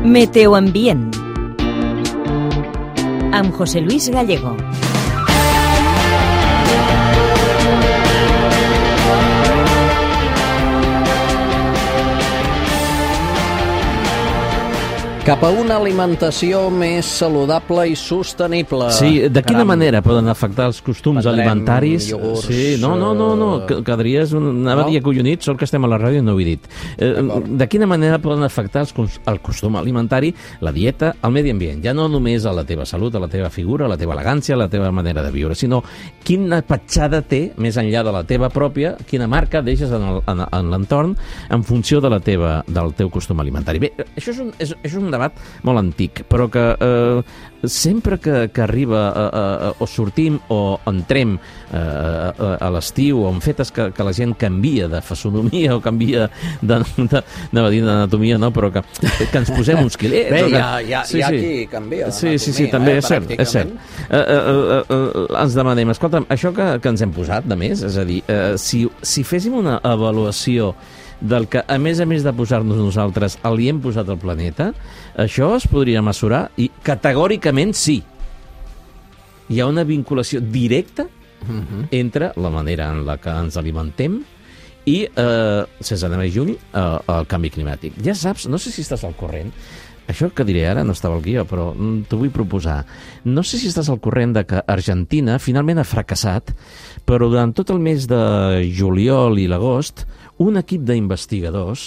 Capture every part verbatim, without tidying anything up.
Meteoambient amb José Luis Gallego. Cap a una alimentació més saludable i sostenible. Sí, de quina Caram. manera poden afectar els costums Prendrem alimentaris? iogurts, Sí, no, no, no, no. quedaries, anava no? a dir acollonit, sort que estem a la ràdio i no ho he dit. Eh, de quina manera poden afectar els, el costum alimentari, la dieta, el medi ambient? Ja no només a la teva salut, a la teva figura, a la teva elegància, a la teva manera de viure, sinó quina petjada té, més enllà de la teva pròpia, quina marca deixes en, el, en, en l'entorn en funció de la teva, del teu costum alimentari. Bé, això és un, és, és un debat molt antic, però que eh, sempre que, que arriba a, a, a, o sortim o entrem eh, a, a l'estiu o en fetes que, que la gent canvia de fisonomia o canvia de, de, de, de d'anatomia, no? Però que, que ens posem uns quilets. Bé, que, hi ha, hi ha, sí, hi ha sí. qui canvia Sí, sí, sí, també eh, és cert, és cert. Eh, eh, eh, eh, ens demanem, escolta'm, això que, que ens hem posat, de més, és a dir, eh, si, si féssim una avaluació del que, a més a més de posar-nos nosaltres, li hem posat al planeta, això es podria mesurar i categòricament sí. Hi ha una vinculació directa uh-huh. entre la manera en la que ens alimentem i, eh, sense anar més lluny, eh, el canvi climàtic. Ja saps, no sé si estàs al corrent, això que diré ara no estava al guió, però t'ho vull proposar. No sé si estàs al corrent de que Argentina finalment ha fracassat, però durant tot el mes de juliol i l'agost, un equip d'investigadors,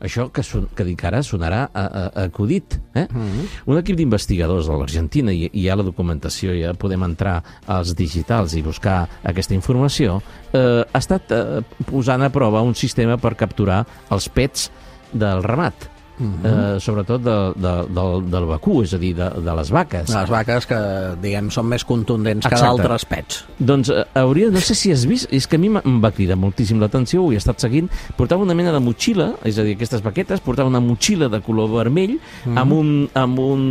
això que, son, que dic ara sonarà a, a, a acudit, eh? Mm-hmm. Un equip d'investigadors de l'Argentina, i, i hi ha la documentació, ja podem entrar als digitals i buscar aquesta informació, eh, ha estat eh, posant a prova un sistema per capturar els pets del ramat. Uh-huh. eh, sobretot de, de, del, del vacú, és a dir, de, de les vaques. Les vaques que, diguem, són més contundents Exacte. que d'altres pets. Doncs eh, hauria, no sé si has vist, és que a mi em va cridar moltíssim l'atenció, ho he estat seguint, portava una mena de motxilla, és a dir, aquestes vaquetes, portava una motxilla de color vermell, uh-huh. amb, un, amb, un,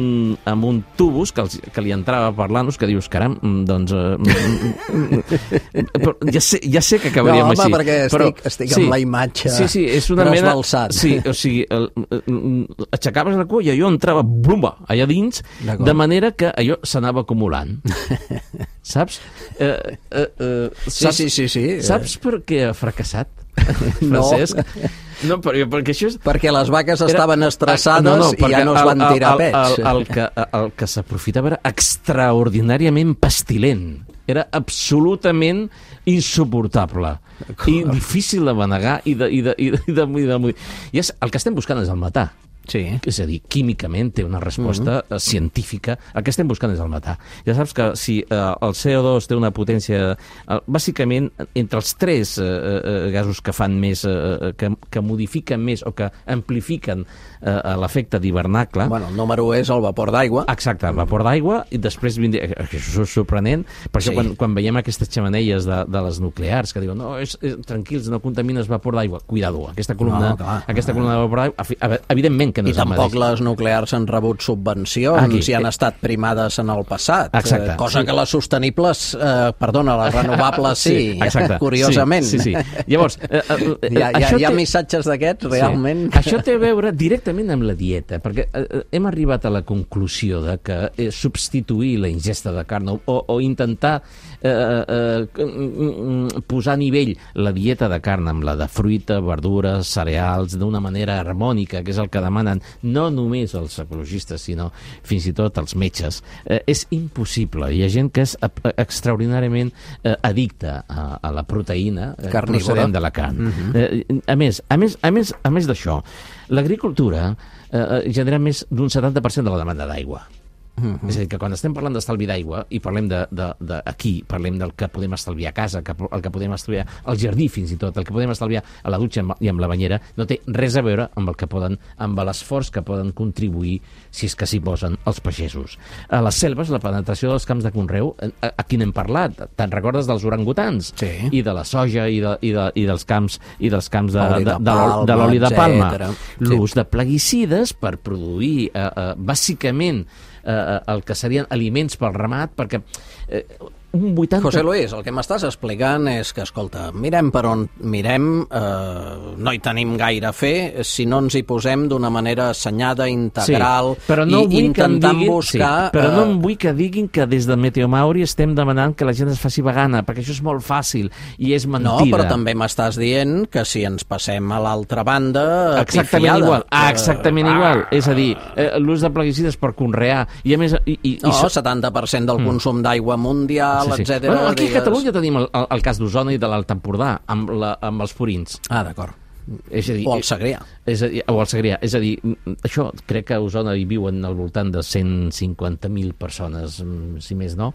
amb un tubus que, els, que li entrava per l'anus, que dius, caram, doncs... Eh, però ja, sé, ja sé que acabaríem no, home, així. perquè però, estic, estic sí, amb la imatge sí, sí, és una mena, sí, o sigui, el, aixecaves la cua i allò entrava blumba, allà dins, de manera que allò s'anava acumulant. Saps? Eh, eh, eh, saps? Sí, sí, sí, sí. Saps per què ha fracassat, no. Francesc? No, perquè, perquè això és... Perquè les vaques estaven era... estressades no, no, i ja no es van tirar el, el, pets. El, el, el que, el que s'aprofitava era extraordinàriament pestilent. Era absolutament insuportable i difícil de manegar i de... I de, i de, i de, i de, i de, i és, el que estem buscant és el matar. Sí. És a dir, químicament té una resposta uh-huh. científica. El que estem buscant és el matar. Ja saps que si eh, el C O dos té una potència... Eh, bàsicament, entre els tres eh, eh, gasos que fan més... Eh, que, que modifiquen més o que amplifiquen eh, l'efecte d'hivernacle... Bueno, el número u és el vapor d'aigua. Exacte, el vapor d'aigua, i després vindria... Això és sorprenent, per això sí. quan, quan veiem aquestes xemeneies de, de les nuclears que diuen, no, és, és, tranquils, no contamines vapor d'aigua. Cuidado, aquesta columna, no, aquesta columna de vapor d'aigua, evidentment que no I tampoc les nuclears han rebut subvencions Aquí. i han estat primades en el passat. Exacte. Cosa sí. que les sostenibles, eh, perdona, les renovables sí, sí exacte. curiosament. Sí, sí, sí. Llavors, eh, eh, hi ha, hi ha, hi ha té... missatges d'aquests, realment. Sí. Això té a veure directament amb la dieta, perquè eh, hem arribat a la conclusió de que eh, substituir la ingesta de carn o, o intentar eh, eh, posar a nivell la dieta de carn amb la de fruita, verdures, cereals, d'una manera harmònica, que és el que demanen no només els ecologistes, sinó fins i tot els metges, eh, és impossible. Hi ha gent que és extraordinàriament eh, addicta a, a la proteïna eh, procedent de la carn. Uh-huh. eh, a més, a més, a més, a més d'això, l'agricultura eh, genera més d'un setanta per cent de la demanda d'aigua. Uh-huh. És a dir, que quan estem parlant d'estalvi d'aigua i parlem de, de, de aquí, parlem del que podem estalviar a casa, que, el que podem estalviar al jardí fins i tot, el que podem estalviar a la dutxa i amb la banyera, no té res a veure amb el que poden, amb l'esforç que poden contribuir, si és que s'hi posen, els pagesos. A les selves, la penetració dels camps de conreu, a, a qui n'hem parlat? Te'n recordes dels orangutans? Sí. I de la soja i, de, i, de, i dels camps i dels camps de, de, de, de, de, de l'oli de palma. L'ús sí. de plaguicides per produir, eh, eh, bàsicament, eh, el que serien aliments pel ramat, perquè eh, un vuitanta... José Luis, el que m'estàs explicant és que, escolta, mirem per on mirem, eh, no hi tenim gaire a fer si no ens hi posem d'una manera assenyada, integral, sí, però no i intentant diguin, buscar... Sí, però no em vull que diguin que des de Meteomauri estem demanant que la gent es faci vegana, perquè això és molt fàcil i és mentida. No, però també m'estàs dient que si ens passem a l'altra banda... Exactament pifiada, igual, ah, exactament uh, igual. És a dir, eh, l'ús de plaguicides per conrear, i a més... I, i, no, i... setanta per cent del consum mm. d'aigua mundial, sí, sí. etcètera. Bueno, aquí digues... a Catalunya tenim el, el, el cas d'Osona i de l'Alt Empordà, amb, la, amb els purins. Ah, d'acord. És a dir, o el Segrià. És a dir, o el Segrià. És a dir, això crec que a Osona hi viuen al voltant de cent cinquanta mil persones, si més no,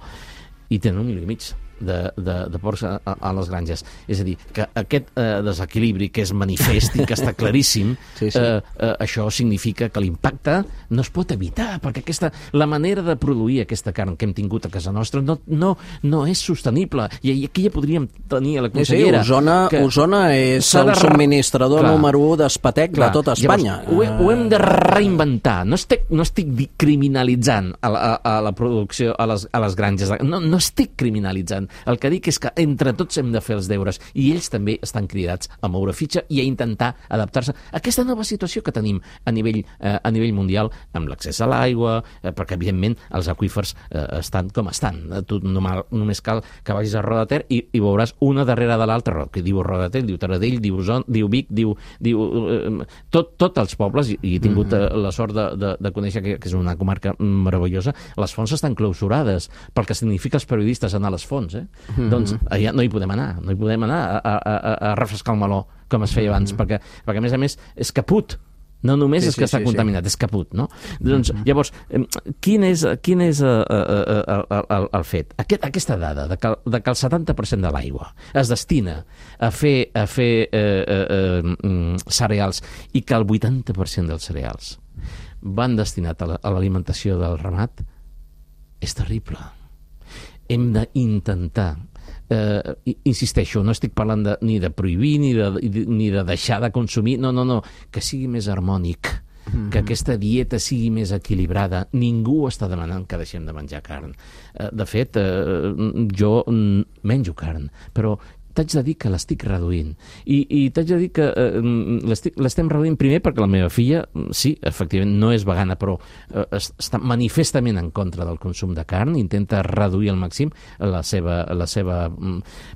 i tenen un milió i mig de, de, de porcs a, a les granges. És a dir, que aquest eh, desequilibri que és manifest i que està claríssim, sí, sí. Eh, eh, això significa que l'impacte no es pot evitar, perquè aquesta, la manera de produir aquesta carn que hem tingut a casa nostra no, no, no és sostenible. I aquí ja podríem tenir a la consellera... Sí, sí, Osona, Osona és el de... subministrador clar, número u d'espatec de tota Espanya. Llavors, ho, ho hem de reinventar. No estic, no estic criminalitzant a la, a, a la producció, a les, a les granges. No, no estic criminalitzant. El que dic és que entre tots hem de fer els deures i ells també estan cridats a moure fitxa i a intentar adaptar-se a aquesta nova situació que tenim a nivell, eh, a nivell mundial amb l'accés a l'aigua, eh, perquè evidentment els aqüífers eh, estan com estan. Tu normal, només cal que vagis a Roda de Ter i, i veuràs una darrere de l'altra, que diu Roda de Ter, diu Taradell, diu Osona, diu Vic, diu, diu eh, tot, tot els pobles, i, i he tingut eh, la sort de, de, de conèixer que, que és una comarca meravellosa. Les fonts estan clausurades pel que significa els periodistes anar a les fonts. Eh? Mm-hmm. Doncs allà no hi podem anar, no hi podem anar a, a, a, a refrescar el meló com es feia abans, mm-hmm. perquè, perquè a més a més és caput. No només sí, és que sí, està sí, contaminat, sí. és caput, no? Doncs, mm-hmm. llavors, quin és, quin és uh, uh, uh, el, el, el fet? Aquest, aquesta dada de que, de que el setanta per cent de l'aigua es destina a fer, a fer uh, uh, uh, cereals i que el vuitanta per cent dels cereals van destinats a l'alimentació del ramat, és terrible. Hem d'intentar, eh, insisteixo, no estic parlant de, ni de prohibir ni de, ni de deixar de consumir, no, no, no, que sigui més harmònic, mm-hmm. que aquesta dieta sigui més equilibrada. Ningú està demanant que deixem de menjar carn. Eh, de fet, eh, jo menjo carn, però t'haig de dir que l'estic reduint. I, i t'haig de dir que eh, l'estem reduint primer perquè la meva filla, sí, efectivament, no és vegana, però eh, està manifestament en contra del consum de carn, intenta reduir al màxim la seva, la seva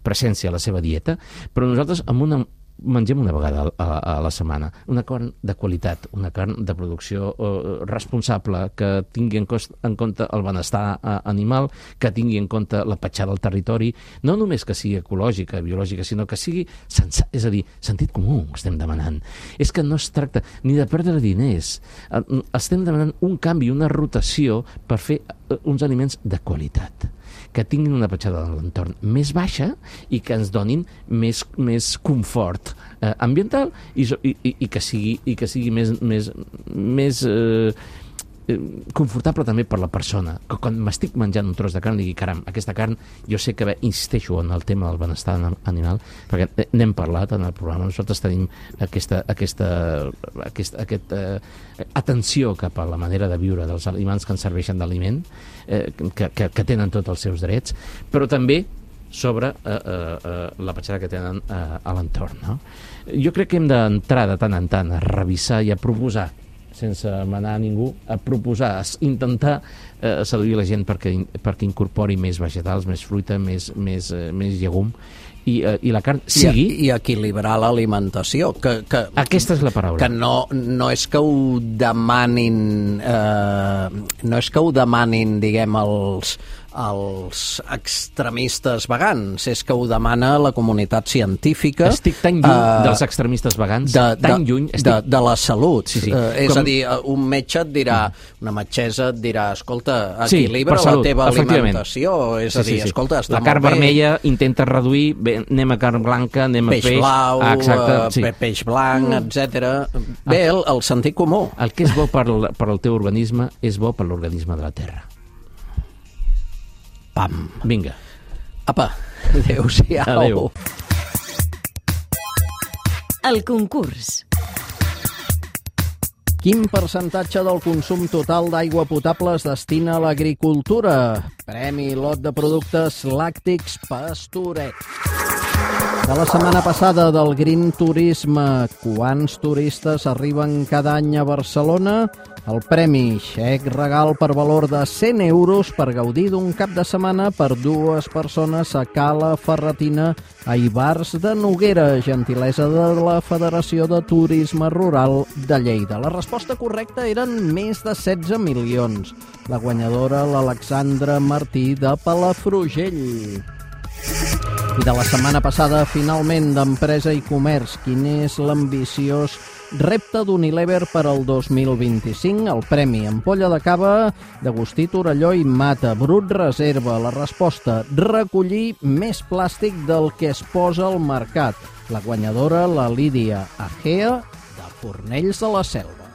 presència, la seva dieta, però nosaltres amb una mengem una vegada a, a la setmana una carn de qualitat, una carn de producció eh, responsable, que tingui en, cost, en compte el benestar eh, animal, que tingui en compte la petjada del territori, no només que sigui ecològica, biològica, sinó que sigui sensa, és a dir, sentit comú estem demanant. És que no es tracta ni de perdre diners, eh, estem demanant un canvi, una rotació per fer eh, uns aliments de qualitat, que tinguin una petjada de l'entorn més baixa i que ens donin més, més confort eh, ambiental i, i, i que sigui, i que sigui més, més, més eh, confortable també per la persona, que quan m'estic menjant un tros de carn digui, caram, aquesta carn, jo sé que bé, insisteixo en el tema del benestar animal, perquè n'hem parlat en el programa, nosaltres tenim aquesta, aquesta, aquesta, aquesta eh, atenció cap a la manera de viure dels aliments que ens serveixen d'aliment, eh, que, que, que tenen tots els seus drets, però també sobre eh, eh, la petjada que tenen eh, a l'entorn, no? Jo crec que hem d'entrar de tant en tant a revisar i a proposar, sense manar a ningú, a proposar, a intentar eh, seduir la gent perquè, perquè incorpori més vegetals, més fruita, més, més, eh, més llegum, i, eh, i la carn sigui... I, i equilibrar l'alimentació. Que, que, Aquesta és la paraula. Que no, no és que ho demanin... Eh, no és que ho demanin, diguem, els... els extremistes vegans, és que ho demana la comunitat científica. Estic tan lluny uh, dels extremistes vegans, de, tan de, lluny. Estic... De, de la salut. Sí, sí. Uh, és Com... a dir, un metge et dirà, una metgessa et dirà, escolta, equilibra sí, salut, la teva alimentació. És sí, a dir, sí, sí. escolta, està la carn molt bé. vermella intenta reduir, bé, anem a carn blanca, anem peix a peix. Blau, ah, exacte, uh, sí. peix blanc, etcètera. Bé, el, el sentit comú. El que és bo per, per al teu organisme és bo per l'organisme de la Terra. Pam. Vinga. Apa, adéu-siau. Adéu. El concurs. Quin percentatge del consum total d'aigua potable es destina a l'agricultura? Premi lot de productes làctics Pastoret. De la setmana passada del Green Turisme, quants turistes arriben cada any a Barcelona? El premi xec regal per valor de cent euros per gaudir d'un cap de setmana per dues persones a Cala Ferretina a Ivars de Noguera, gentilesa de la Federació de Turisme Rural de Lleida. La resposta correcta eren més de setze milions. La guanyadora, l'Alexandra Martí de Palafrugell. I de la setmana passada, finalment, d'Empresa i Comerç, quin és l'ambiciós repte d'Unilever per al dos mil vint-i-cinc? El premi ampolla de cava d'Agustí Torelló i Mata, Brut Reserva. La resposta, recollir més plàstic del que es posa al mercat. La guanyadora, la Lídia Agea, de Fornells de la Selva.